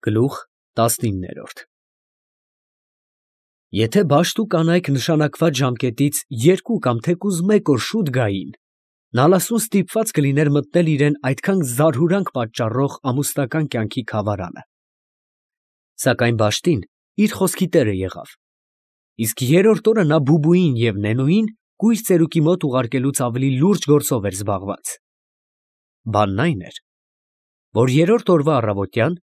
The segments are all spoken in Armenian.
Գլուխ 19 Եթե բաշտ ու կանայք նշանակված ժամկետից 2 կամ թեկուզ 1 օր շուտ գային, Նալասուն ստիպված կլիներ մտնել իրեն այդքան զարհուրանք պատճառող ամուսնական կյանքի խավարանը։ Սակայն բաշտին իր խոսքի տերը եղավ, իսկ երրորդ օրը նա Բուբուին և Նենոյին կույր ծերուկի մոտ ուղարկելուց ավելի լուրջ գործով էր զբաղված։ Բանն այն էր, որ երրորդ օրվա առավոտյան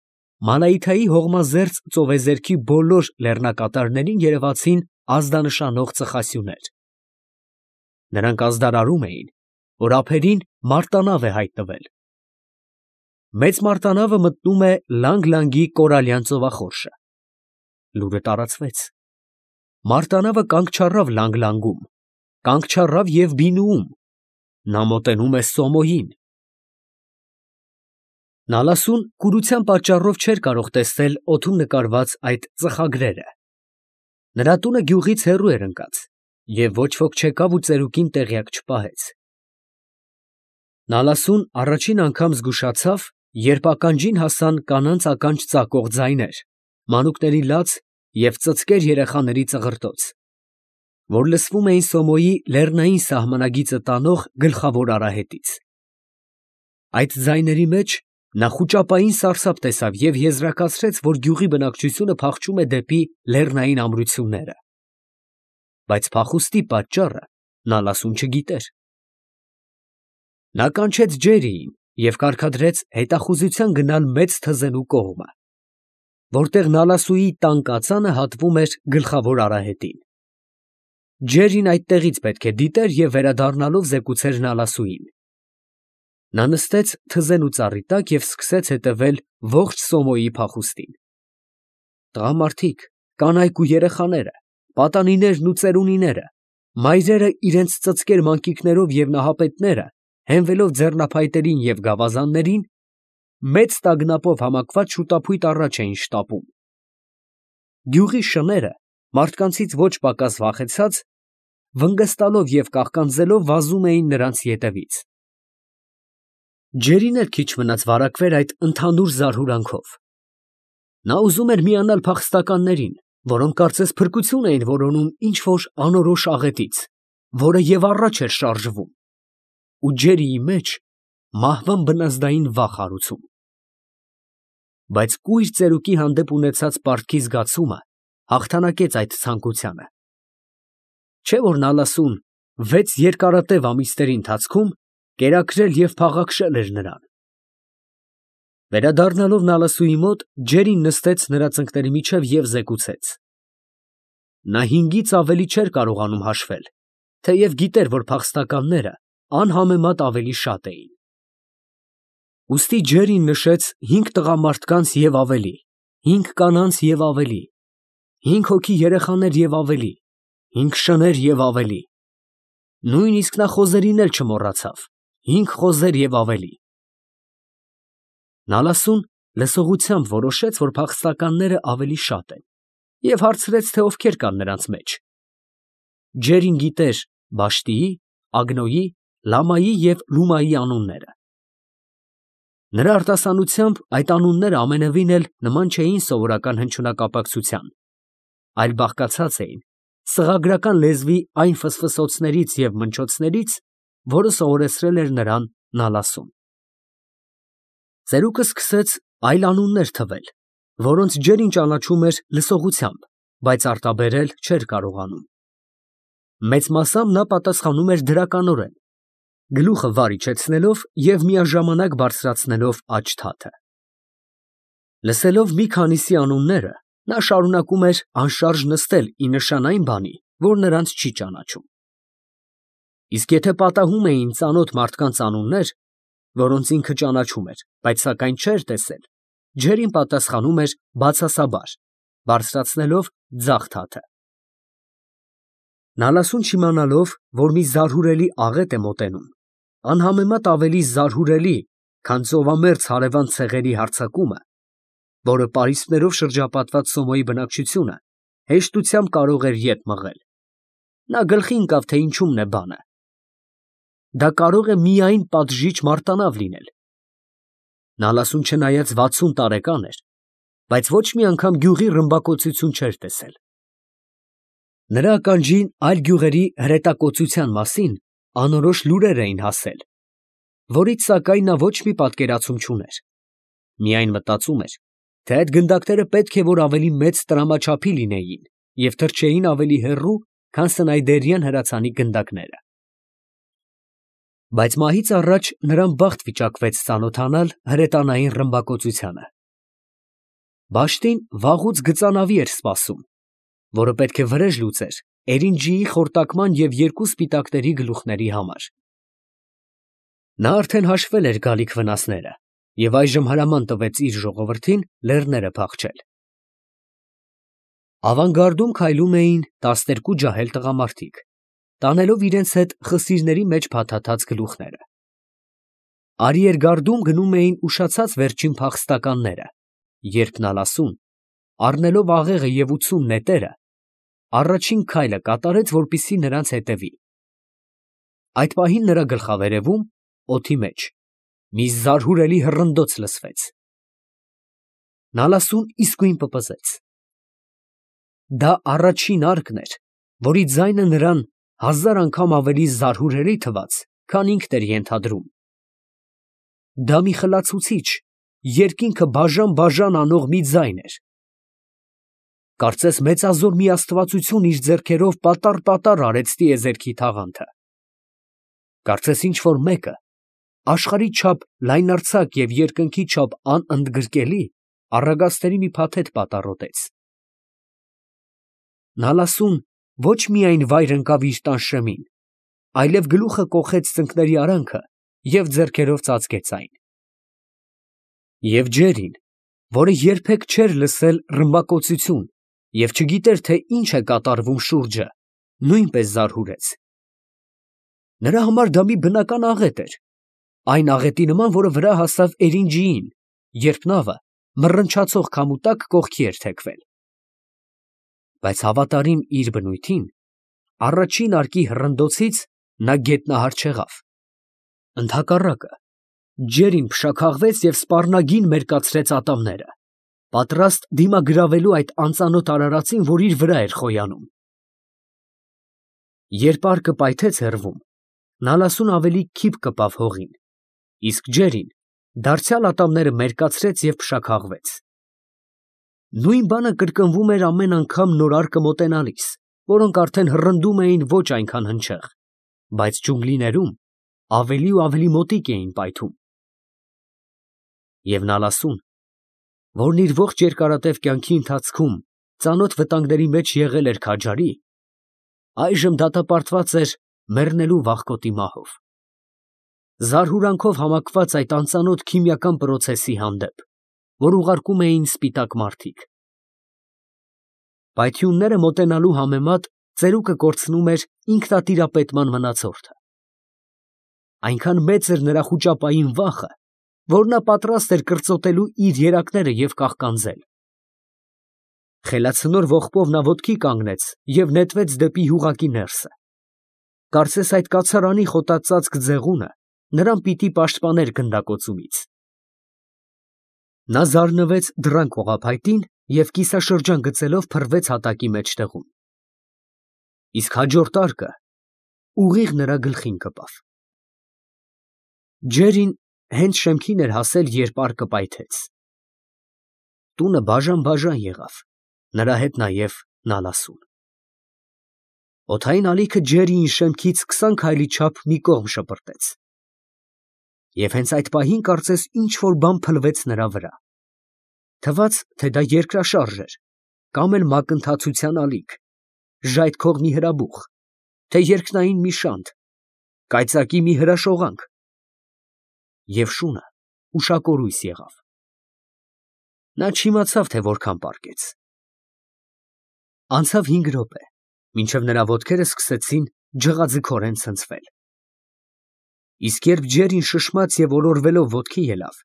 Մանայիթայի հողմազերծ ծովեզերքի բոլոր լեռնակատարներին երևացին ազդանշանող ծխասյուներ։ Նրանք ազդարարում էին, որ ափերին մարտանավ է հայտնվել։ Մեծ մարտանավը մտնում է Լանգ-Լանգի կորալյան ծովախորշը։ Լուրը տարածվեց։ Մարտանավը կանգ չառավ Լանգ-Լանգում, կանգ չառավ և Բինուում, նա մոտենում է Սոմոյին։ Նալասուն կուրության պատճառով չէր կարող տեսնել օդում նկարված այդ ծխագրերը։ Նրա տունը գյուղից հեռու էր ընկած, և ոչ ոք չեկավ ու ծերուկին տեղյակ չպահեց։ Նալասուն առաջին անգամ զգուշացավ, երբ ականջին հասան կանանց ականջ ծակող ձայներ, մանուկների լաց և ծծկեր երեխաների ծղրտոց, որ լսվում էին Սոմոյի լեռնային սահմանագիծը տանող գլխավոր արահետից։ Այդ ձայների մեջ նա խուճապային սարսափ տեսավ և եզրակացրեց, որ գյուղի բնակչությունը փախչում է դեպի լեռնային ամրությունները։ Բայց փախուստի պատճառը Նալասուն չգիտեր։ Նա կանչեց Ջերիին և կարգադրեց հետախուզության գնալ մեծ թզենու կողմը, որտեղ Նալասուի տան կածանը հատվում էր գլխավոր արահետին։ Ջերին այդտեղից պետք է դիտեր և վերադառնալով զեկուցեր Նալասուին։ Նա նստեց թզենու ծառի տակ և սկսեց հետևել ողջ Սոմոյի փախուստին։ Տղամարդիկ, կանայք ու երեխաները, պատանիներն ու ծերունիները, մայրերը իրենց ծծկեր մանկիկներով և նահապետները, հենվելով ձեռնափայտերին և գավազաններին, մեծ տագնապով համակված շուտափույթ առաջ էին շտապում։ Գյուղի շները, մարդկանցից ոչ պակաս վախեցած, վնգստալով և կաղկանձելով վազում էին նրանց ետևից։ Ջերին էլ քիչ մնաց վարակվեր այդ ընդհանուր զարհուրանքով։ Նա ուզում էր միանալ փախստականներին, որոնք կարծես փրկություն էին որոնում ինչ֊որ անորոշ աղետից, որը և առաջ էր շարժվում, ու Ջերիի մեջ մահվան բնազդային վախ հարուցում։ Բայց կույր ծերուկի հանդեպ ունեցած պարտքի զգացումը հաղթանակեց այդ ցանկությանը։ Չէ՞ որ Նալասուն 6 երկարատև ամիսների ընթացքում կերակրել և փաղաքշել էր նրան։ Վերադառնալով Նալասուի մոտ, Ջերին նստեց նրա ծնկների միջև և զեկուցեց. նա 5-ից ավելի չէր կարողանում հաշվել, թեև գիտեր, որ փախստականները անհամեմատ ավելի շատ էին։ Ուստի Ջերին նշեց 5 տղամարդկանց և ավելի, 5 կանանց և ավելի, 5 հոգի երեխաներ և ավելի, 5 շներ և ավելի, նույնիսկ նա խոզերին էլ չմոռացավ, 5 խոզեր և ավելի։ Նալասուն լսողությամբ որոշեց, որ փախստականները ավելի շատ են, և հարցրեց, թե ովքեր կան նրանց մեջ։ Ջերին գիտեր Բաշտիի, Ագնոյի, Լամայի և Լումայի անունները։ Նրա արտասանությամբ այդ անունները ամենևին էլ նման չէին սովորական հնչյունակապակցության, այլ բաղկացած էին սղագրական լեզվի այն ֆսֆսոցներից և մնչոցներից, որը սովորեցրել էր նրան Նալասուն։ Ծերուկը սկսեց այլ անուններ թվել, որոնց Ջերին ճանաչում էր լսողությամբ, բայց արտաբերել չէր կարողանում։ Մեծ մասամբ նա պատասխանում էր դրականորեն, գլուխը վար իջեցնելով և միաժամանակ բարձրացնելով աջ թաթը։ Լսելով մի քանիսի անունները, նա շարունակում էր անշարժ նստել ի նշան այն բանի, որ նրանց չի ճանաչում։ Իսկ եթե պատահում էին ծանոթ մարդկանց անուններ, որոնց ինքը ճանաչում էր, բայց սակայն չէր տեսել, Ջերին պատասխանում էր բացասաբար, բարձրացնելով ձախ թաթը։ Նալասուն չիմանալով, որ մի զարհուրելի աղետ է մոտենում, անհամեմատ ավելի զարհուրելի, քան ծովամերձ հարևան ցեղերի հարձակումը, որը պարիսպներով շրջապատված Սոմոյի բնակչությունը հեշտությամբ կարող էր ետ մղել, նա գլխի ընկավ, թե ինչումն է բանը։ Դա կարող է միայն պատժիչ մարտանավ լինել։ Նալասուն չնայած 60 տարեկան էր, բայց ոչ մի անգամ գյուղի ռմբակոծություն չէր տեսել։ Նրա ականջին այլ գյուղերի հրետակոծության մասին անորոշ լուրեր էին հասել, որից սակայն նա ոչ մի պատկերացում չուներ։ Միայն մտածում էր, թե այդ գնդակները պետք է որ ավելի մեծ տրամաչափի լինեին և թռչեին ավելի հեռու, քան Սնայդերյան հրացանի գնդակները։ Բայց մահից առաջ նրան բախտ վիճակվեց ծանոթանալ հրետանային ռմբակոծությանը։ Բաշտին վաղուց գծանավի էր սպասում, որը պետք է վրեժ լուծեր Էրինջիի խորտակման և երկու սպիտակների գլուխների համար։ Նա արդեն հաշվել էր գալիք վնասները և այժմ հրաման տվեց իր ժողովրդին լեռները փախչել։ Ավանգարդում քայլում էին 12 ջահել տղամարդիկ, տանելով իրենց հետ խսիրների մեջ փաթաթած գլուխները։ Արիերգարդում գնում էին ուշացած վերջին փախստականները, երբ Նալասուն, առնելով աղեղը և 80 նետերը, առաջին քայլը կատարեց, որպեսզի նրանց հետևի։ Այդ պահին նրա գլխավերևում, օդի մեջ, մի զարհուրելի հռնդոց լսվեց։ Նալասուն իսկույն պպզեց։ Դա առաջին արկն էր, որի ձայնը նրան 1000 անգամ ավելի զարհուրելի թվաց, քան ինքն էր ենթադրում։ Դա մի խլացուցիչ, երկինքը բաժան անող մի ձայն էր։ Կարծես մեծազոր մի աստվածություն իր ձեռքերով պատառ արեց տիեզերքի թաղանթը։ Կարծես ինչ-որ մեկը աշխարհի չափ լայնարձակ և երկնքի չափ անընդգրկելի առագաստերի մի փաթեթ պատառոտեց։ Նալասուն ոչ միայն վայր ընկավ իր տան շեմին, այլև գլուխը կոխեց ծնկների արանքը և ձեռքերով ծածկեց այն։ Եվ Ջերին, որը երբեք չէր լսել ռմբակոծություն և չգիտեր, թե ինչ է կատարվում շուրջը, նույնպես զարհուրեց։ Նրա համար դա մի բնական աղետ էր, այն աղետի նման, որը վրա հասավ Էրինջիին, երբ նավը մռնչացող քամու տակ կողքի էր թեքվել։ Բայց հավատարիմ իր բնույթին, առաջին արկի հռնդոցից նա գետնահար չեղավ։ Ընդհակառակը, Ջերին փշաքաղվեց և սպառնագին մերկացրեց ատամները, պատրաստ դիմագրավելու այդ անծանոթ արարածին, որ իր վրա էր խոյանում։ Երբ արկը պայթեց հեռվում, Նալասուն ավելի քիփ կպավ հողին, իսկ Ջերին դարձյալ ատամները մերկացրեց և փշաքաղվեց։ Նույն բանը կրկնվում էր ամեն անգամ նոր արկը մոտենալիս, որոնք արդեն հռնդում էին ոչ այնքան հնչեղ, բայց ջունգլիներում ավելի ու ավելի մոտիկ էին պայթում։ Եվ Նալասուն, որն իր ողջ երկարատև կյանքի ընթացքում ծանոթ վտանգների մեջ եղել էր քաջարի, այժմ դատապարտված էր մեռնելու վախկոտի մահով, զարհուրանքով համակված այդ անծանոթ քիմիական պրոցեսի հանդեպ, որ ուղարկում էին սպիտակ մարդիկ։ Պայթյունները մոտենալու համեմատ ծերուկը կորցնում էր ինքնատիրապետման մնացորդը։ Այնքան մեծ էր նրա խուճապային վախը, որ նա պատրաստ էր կրծոտելու իր երակները և կաղկանձել։ Խելացնոր ողբով նա ոտքի կանգնեց և նետվեց դեպի հյուղակի ներսը։ Կարծես այդ կացարանի խոտածածկ ձեղունը նրան պիտի պաշտպաներ գնդակոծումից։ Նա զարնվեց դռան կողափայտին և կիսաշրջան գծելով փռվեց հատակի մեջտեղում։ Իսկ հաջորդ արկը ուղիղ նրա գլխին կպավ։ Ջերին հենց շեմքին էր հասել, երբ արկը պայթեց։ Տունը բաժան եղավ, նրա հետ նաև Նալասուն։ Օդային ալիքը Ջերիին շեմքից 20 քայլի չափ մի կողմ շպրտեց։ Եվ հենց այդ պահին կարծես ինչ֊որ բան փլվեց նրա վրա։ Թվաց, թե դա երկրաշարժ էր, կամ էլ մակընթացության ալիք, ժայթքող մի հրաբուխ, թե երկնային մի շանթ, կայծակի մի հրաշողանք։ Եվ շունը ուշակորույս եղավ։ Նա չիմացավ, թե որքան պառկեց։ Անցավ 5 րոպե, մինչև նրա ոտքերը սկսեցին ջղաձգորեն ցնցվել։ Իսկ երբ Ջերին շշմաց և ոլորվելով ոտքի ելավ,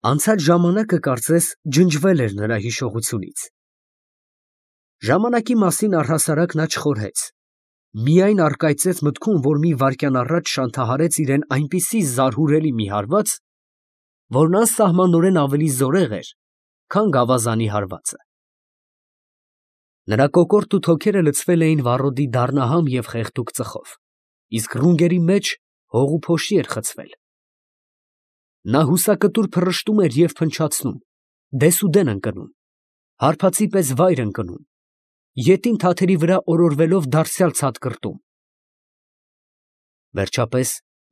անցած ժամանակը կարծես ջնջվել էր նրա հիշողությունից։ Ժամանակի մասին առհասարակ նա չխորհեց, միայն առկայծեց մտքում, որ մի վայրկյան առաջ շանթահարեց իրեն այնպիսի զարհուրելի մի հարված, որն անսահմանորեն ավելի զորեղ էր, քան գավազանի հարվածը։ Նրա կոկորտն ու թոքերը լցվել էին վառոդի դառնահամ և խեղդուկ ծխով, իսկ ռունգերի մեջ հող ու փոշի էր խցվել։ Նա հուսակտուր փռշտում էր և փնչացնում, դեսուդեն ընկնում, հարբածի պես վայր ընկնում, ետին թաթերի վրա օրորվելով դարձյալ ցատկրտում։ Վերջապես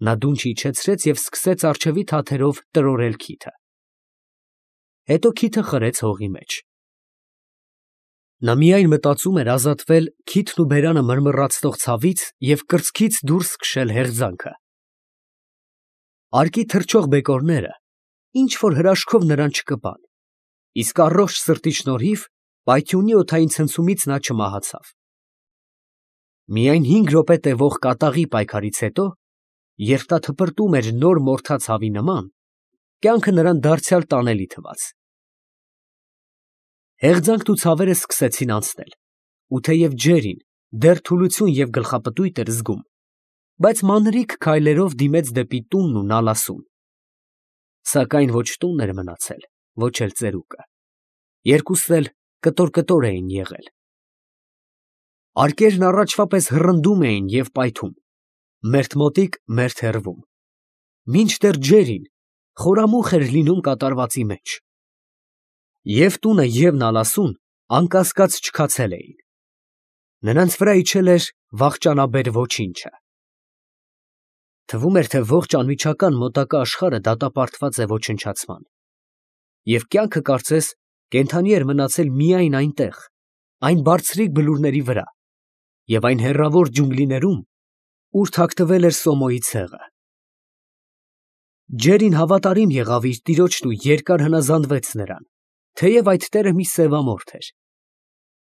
նա դունչ իջեցրեց և սկսեց առջևի թաթերով տրորել քիթը։ Հետո քիթը խրեց հողի մեջ։ Նա միայն մտածում էր ազատվել քիթն ու բերանը մռմռացնող ցավից և կրծքից դուրս քշել հեղձանքը։ Արկի թռչող բեկորները ինչ֊որ հրաշքով նրան չկպան, իսկ առողջ սրտի շնորհիվ պայթյունի օդային ցնցումից նա չմահացավ։ Միայն 5 րոպե տևող կատաղի պայքարից հետո, երբ նա թպրտում էր նոր մորթած հավի նման, կյանքը նրան դարձյալ տանելի թվաց։ Հեղձանքն ու ցավերը սկսեցին անցնել, ու թեև Ջերին դեռ թուլություն և գլխապտույտ էր զգում, բայց մանրիկ քայլերով դիմեց դեպի տունն ու նալասուն։ Սակայն ոչ տունն էր մնացել, ոչ էլ ծերուկը. երկուսն էլ կտոր էին եղել։ Արկերն առաջվա պես հռնդում էին և պայթում, մերթ մոտիկ, մերթ հեռվում, մինչդեռ Ջերին խորամուխ էր լինում կատարվածի մեջ։ Եվ տունը, և նալասուն անկասկած չքացել էին։ Նրանց վրա իջել էր վախճանաբեր ոչինչը։ Թվում էր, թե ողջ անմիջական մոտակա աշխարհը դատապարտված է ոչնչացման, և կյանքը կարծես կենդանի էր մնացել միայն այնտեղ, այն բարձրիկ բլուրների վրա և այն հեռավոր ջունգլիներում, ուր թաքնվել էր Սոմոյի ցեղը։ Ջերին հավատարիմ եղավ իր տիրոջն ու երկար հնազանդվեց նրան, թեև այդ տերը մի սևամորթ էր։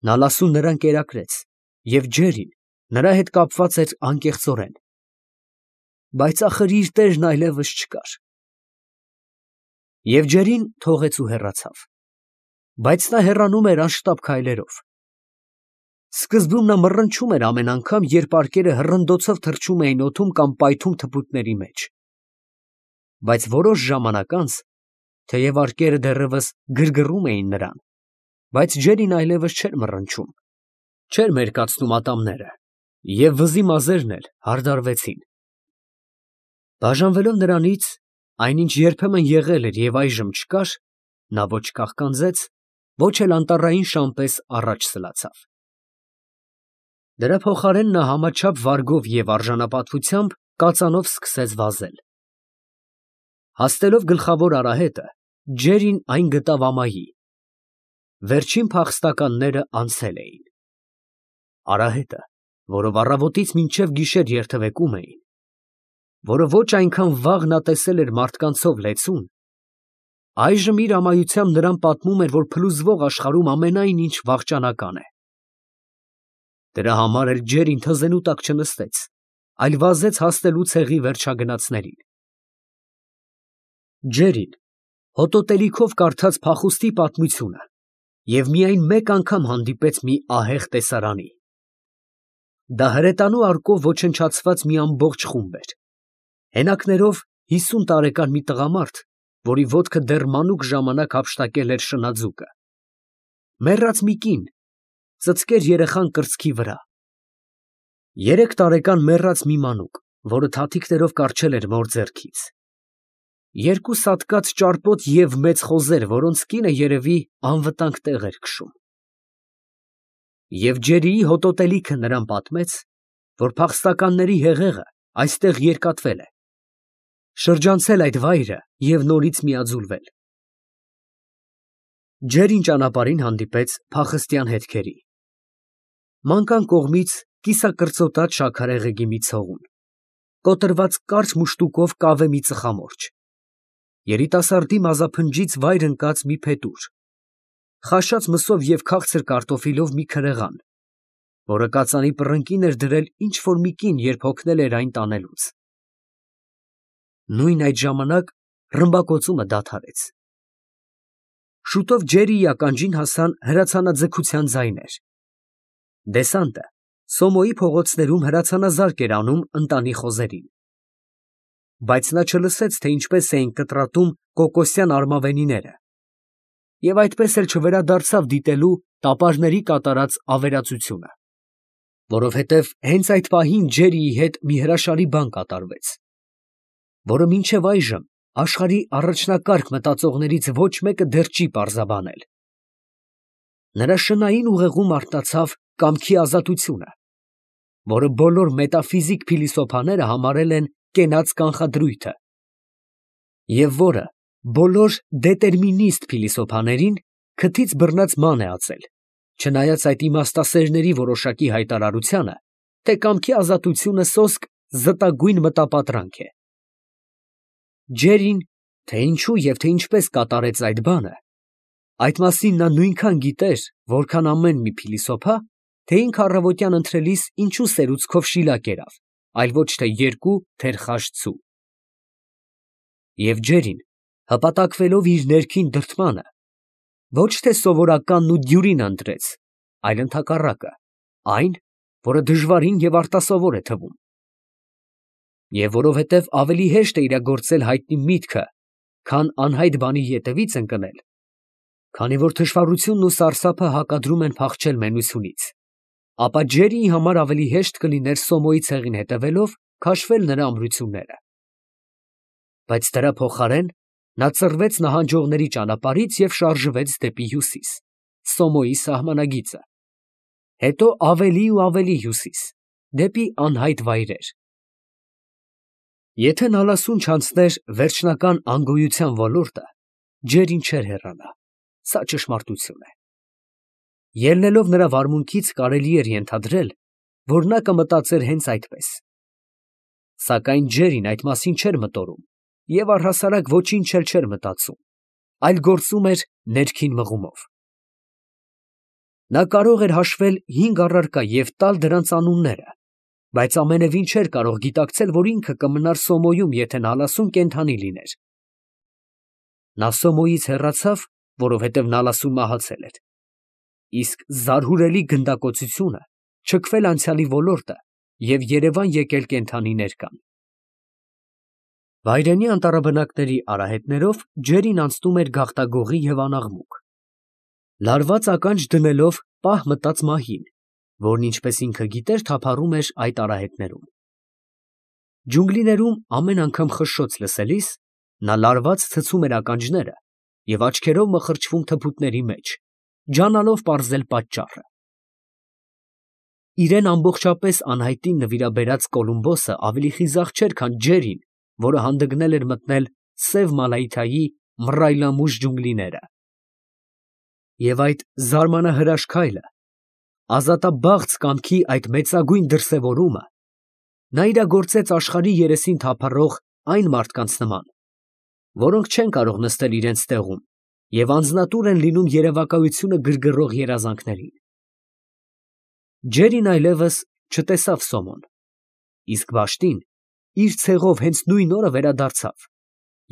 Նալասուն նրան կերակրեց, և Ջերին նրա հետ կապված էր անկեղծորեն։ Բայց ախր իր տերն այլևս չկար։ Եվ Ջերին թողեց ու հեռացավ, բայց նա հեռանում էր անշտապ քայլերով։ Սկզբում նա մռնչում էր ամեն անգամ, երբ արկերը հռնդոցով թռչում էին օդում կամ պայթում թփուտների մեջ։ Բայց որոշ ժամանակ անց, թեև արկերը դեռևս գրգռում էին նրան, բայց Ջերին այլևս չէր մռնչում, չէր մերկացնում ատամները, և վզի մազերն էլ հարդարվեցին։ Բաժանվելով նրանից, այնինչ երբեմն եղել էր և այժմ չկար, նա ոչ կաղկանձեց, ոչ էլ անտառային շան պես առաջ սլացավ։ Դրա փոխարեն նա համաչափ վարգով և արժանապատվությամբ կածանով սկսեց վազել։ Հասնելով գլխավոր արահետը, Ջերին այն գտավ ամայի։ Վերջին փախստականները անցել էին։ Արահետը, որով առավոտից մինչև գիշեր երթևեկում էին, որը ոչ այնքան վաղ նա տեսել էր մարդկանցով լեցուն, այժմ իր ամայությամբ նրան պատմում էր, որ փլուզվող աշխարհում ամենայն ինչ վախճանական է։ Դրա համար էլ Ջերին թզենու տակ չնստեց, այլ վազեց հասնելու ցեղի վերջագնացներին։ Ջերին հոտոտելիքով կարդաց փախուստի պատմությունը և միայն մեկ անգամ հանդիպեց մի ահեղ տեսարանի։ Դա հրետանու արկով ոչնչացված մի ամբողջ խումբ էր, հենակներով 50 տարեկան մի տղամարդ, որի ոտքը դեռ մանուկ ժամանակ հափշտակել էր շնաձուկը, մեռած մի կին, ծծկեր երեխան կրծքի վրա, 3 տարեկան մեռած մի մանուկ, որը թաթիկներով կառչել էր մոր ձեռքից, 2 սատկած ճարպոտ և մեծ խոզեր, որոնց կինը երևի անվտանգ տեղ էր քշում։ Եվ Ջերիի հոտոտելիքը նրան պատմեց, որ փախստականների հեղեղը այստեղ երկատվել է, շրջանցել այդ վայրը և նորից միաձուլվել։ Ջերին ճանապարհին հանդիպեց փախստյան հետքերի։ Մանկան կողմից կիսակրծոտած շաքարեղեգի մի ցողուն, կոտրված կարճ մուշտուկով կավե մի ծխամորճ, երիտասարդի մազափնջից վայր ընկած մի փետուր, խաշած մսով և քաղցր կարտոֆիլով մի քրեղան, որը կածանի պռնկին էր դրել ինչ֊որ մի կին, երբ հոգնել էր այն տանելուց։ Նույն այդ ժամանակ ռմբակոծումը դադարեց։ Շուտով Ջերիի ականջին հասան հրացանաձգության ձայներ։ Դեսանտը Սոմոյի փողոցներում հրացանազարկ էր անում ընտանի խոզերին։ Բայց նա չլսեց, թե ինչպես էին կտրատում կոկոսյան արմավենիները, և այդպես էլ չվերադարձավ դիտելու տապարների կատարած ավերածությունը, որովհետև հենց այդ պահին Ջերիի հետ մի հրաշալի բան կատարվեց, որը մինչև այժմ աշխարհի առաջնակարգ մտածողներից ոչ մեկը դեռ չի պարզաբանել. նրա շնային ուղեղում արթնացավ կամքի ազատությունը, որը բոլոր մետաֆիզիկ փիլիսոփաները համարել են կենաց կանխադրույթը, և որը բոլոր դետերմինիստ փիլիսոփաներին քթից բռնած ման է ածել, չնայած այդ իմաստասերների որոշակի հայտարարությանը, թե կամքի ազատությունը սոսկ զտագույն մտապատրանք է։ Ջերին, թե ինչու և թե ինչպես կատարեց այդ բանը, այդ մասին նա նույնքան գիտեր, որքան ամեն մի փիլիսոփա, թե ինքը առավոտյան ընթրելիս ինչու սերուցքով շիլա կերավ, այլ ոչ թե երկու թերխաշ ձու։ Եվ Ջերին, հպատակվելով իր ներքին դրդմանը, ոչ թե սովորականն ու դյուրին ընտրեց, այլ ընդհակառակը, այն, որը դժվարին և արտասովոր է թվում։ Եվ որովհետև ավելի հեշտ է իրագործել հայտնի միտքը, քան անհայտ բանի ետևից ընկնել, քանի որ թշվառությունն ու սարսափը հակադրում են փախչել մենությունից, ապա Ջերիի համար ավելի հեշտ կլիներ Սոմոյի ցեղին հետևելով քաշվել նրա ամրությունները։ Բայց դրա փոխարեն նա ծռվեց նահանջողների ճանապարհից և շարժվեց դեպի հյուսիս, Սոմոյի սահմանագիծը, հետո ավելի ու ավելի հյուսիս, դեպի անհայտ վայրեր։ Եթե Նալասուն չանցներ վերջնական անգոյության ոլորտը, Ջերին չէր հեռանա, սա ճշմարտություն է։ Ելնելով նրա վարմունքից կարելի էր ենթադրել, որ նա կմտածեր հենց այդպես։ Սակայն Ջերին այդ մասին չէր մտորում և առհասարակ ոչինչ էլ չէր մտածում, այլ գործում էր ներքին մղումով։ Նա կարող էր հաշվել 5 առարկա և տալ դրանց անունները, բայց ամենևին չէր կարող գիտակցել, որ ինքը կմնար Սոմոյում, եթե Նալասուն կենդանի լիներ։ Նա Սոմոյից հեռացավ, որովհետև Նալասուն մահացել էր, իսկ զարհուրելի գնդակոծությունը չքվել անցյալի ոլորտը և Երևան եկել կենդանիներ կան։ Վայրենի անտառաբնակների արահետներով Ջերին անցնում էր գաղտագողի և անաղմուկ, լարված ականջ դնելով պահ մտած մահին, որն ինչպես ինքը գիտեր, թափառում էր այդ արահետներում։ Ջունգլիներում ամեն անգամ խշշոց լսելիս, նա լարված ցցում էր ականջները և աչքերով մխրճվում թփուտների մեջ, ջանալով պարզել պատճառը։ Իրան ամբողջապես անհայտին նվիրաբերած Կոլումբոսը ավելի խիզախ չէր, քան Ջերին, որը հանդգնել էր մտնել Սև Մալայթայի մռայլամուժ ջունգլիները։ Եվ այդ զարմանահրաշ քայլը, ազատաբաղձ կամքի այդ մեծագույն դրսևորումը, նա իրագործեց աշխարհի երեսին թափառող այն մարդկանց նման, որոնք չեն կարող նստել իրենց տեղում և անձնատուր են լինում երևակայությունը գրգռող երազանքներին։ Ջերին այլևս չտեսավ Սոմոն, իսկ Վաշտին իր ցեղով հենց նույն օրը վերադարձավ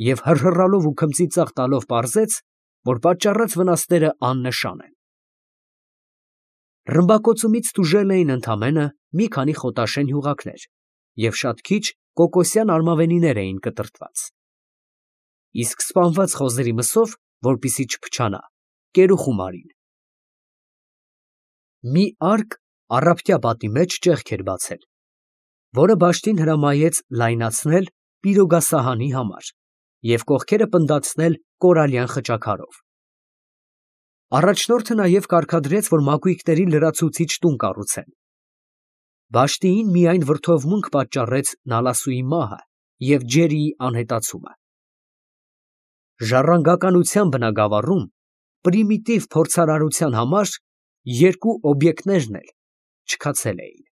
և հռհռալով ու քմծիծաղ տալով պարզեց, որ պատճառած վնասները աննշան են։ Ռմբակոծումից տուժել էին ընդամենը մի քանի խոտաշեն հյուղակներ և շատ քիչ կոկոսյան արմավենիներ էին կտրտված, իսկ սպանված խոզերի մսով, որպեսզի չփչանա, կերուխում արին։ Մի արկ առափտյա պատի մեջ ճեղք էր բացել, որը Վաշտին հրամայեց լայնացնել պիրոգասահանի համար և կողքերը պնդացնել կորալյան խճաքարով։ Առաջնորդը նաև կարգադրեց, որ մակույկների լրացուցիչ տուն կառուցեն։ Վաշտիին միայն վրդովմունք պատճառեց Նալասուի մահը և Ջերիի անհետացումը։ Ժառանգականության բնագավառում պրիմիտիվ փորձարարության համար երկու օբյեկտներն էլ չքացել էին։